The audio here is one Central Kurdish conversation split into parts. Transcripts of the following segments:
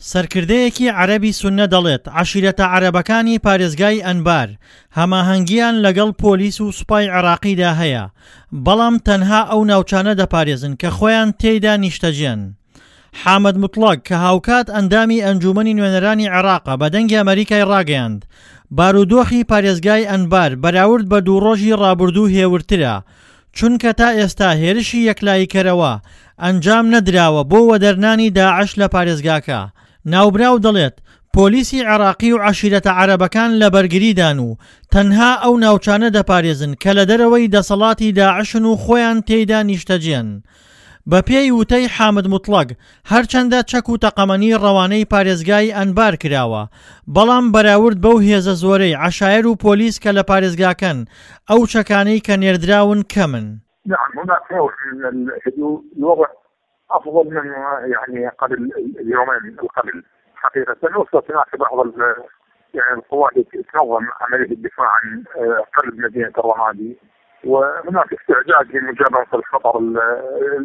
سەرکردەیەکی عەرەبی سوننە دەڵێت، عەشیرەتە عەرەبەکانی پارێزگای ئەنبار هەماهەنگییان لەگەڵ پۆلیس و سوپای عێراقیدا هەیە، بەڵام تەنها ئەو ناوچانە دەپارێزن کە خۆیان تێیدا نیشتەجێن. حامد موتڵەگ کە هاوکات ئەندامی ئەنجوومەنی نوێنەرانی عێراقە بە دەنگی ئەمەریکای ڕاگەیاند، بارودۆخی پارێزگای ئەنبار بەراورد بە دوو ڕۆژی ڕابردوو هێورترە، چونکە تا ئێستا هێرشی یەکلاییکەرەوە ئەنجام نەدراوە بۆ وەدەرنانی داعش لە پارێزگاکە. ناوبراو دەڵێت، پۆلیسی عێراقی و عەشیرەتە عەرەبەکان لە بەرگریدان و تەنها ئەو ناوچانە دەپارێزن کە لە دەرەوەی دەسەڵاتی داعشن و خۆیان تێیدا نیشتەجێن. بەپێی وتەی حامد موتڵەگ، هەرچەندە چەک و تەقەمەنی ڕەوانەی پارێزگای ئەنبار کراوە، بەڵام بەراورد بەو هێزە زۆرەی عەشایەر و پۆلیس کە لە پارێزگاکەن، ئەو چەکانەی کە نێردراون کەمن. نعم هناك نوع من الهدوء الوضع افضل من يعني قبل اليومين القبل حقيقة وصلت هناك بعض يعني القوات تنظم عملية الدفاع عن قلب مدينة الرمادي وهناك استعداد لمجابهة الخطر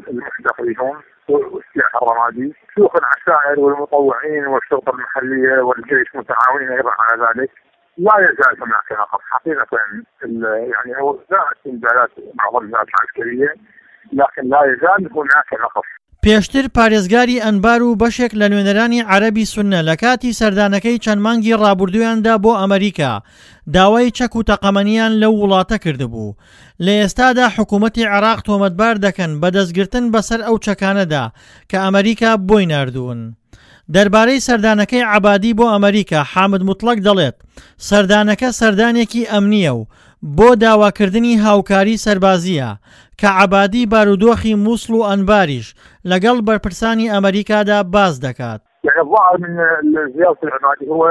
المحدق بهم والسلاح الرمادي شيوخ العشائر والمطوعين والشرطة المحلية والجيش متعاونين أيضا على ذلك لا يزال هناك نقص حقيقة يعني هو زادت إنزالات بعض الذات العسكرية لكن لا يزال هناك نقص پێشتر پارێزگاری ئەنبار و بەشێک لە نوێنەرانی عەرەبی سوننە لە کاتی سەردانەکەی چەند مانگی ڕابوردوویاندا بۆ ئەمەریکا داوای چەک و تەقەمەنیان لەو وڵاتە کردبوو. لە ئێستادا حکوومەتی عێراق تۆمەتبار دەکەن بە دەستگرتن بەسەر ئەو چەکانەدا کە ئەمەریکا بۆی ناردوون. دەربارەی سەردانەکەی عەبادی بۆ ئەمەریکا حامد موتڵەگ دەڵێت، سەردانەکە سەردانێکی ئەمنییە و بۆ داواکردنی هاوکاری سەربازییە، کە عەبادی بارودۆخی موسڵ و ئەنباریش لەگەڵ بەرپرسانی ئەمەریکادا باس دەکات. يعني الظاهر من زيارة العبادي هو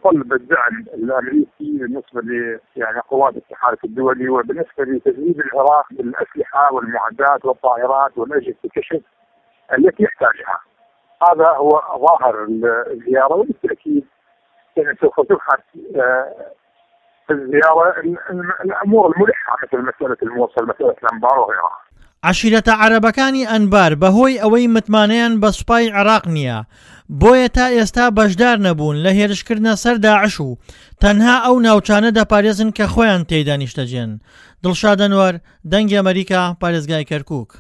طلب الدعم الامريكي بالنسبه ل يعني قوات التحالف الدولي وبالنسبه لتدريب العراق بالاسلحه والمعدات والطائرات والاجهزه الكشف التي يحتاجها. هذا هو ظاهر الزياره وبالتاكيد يعني سوف تبحث في الزيارة الأمور الملحة مثل مسألة الموصل مسألة الأنبار وغيرها. عەشیرەتە عەرەبەکانی ئەنبار بەهۆی ئەوەی متمانەیان بە سوپای عێراق نییە، بۆیە تا ئێستا بەشدار نەبوون لە هێرشکردنە سەر داعش و تەنها ئەو ناوچانە دەپارێزن کە خۆیان تێیدا نیشتەجێن. دڵشاد ئەنوەر، دەنگی ئەمەریکا، پارێزگای کەرکوک.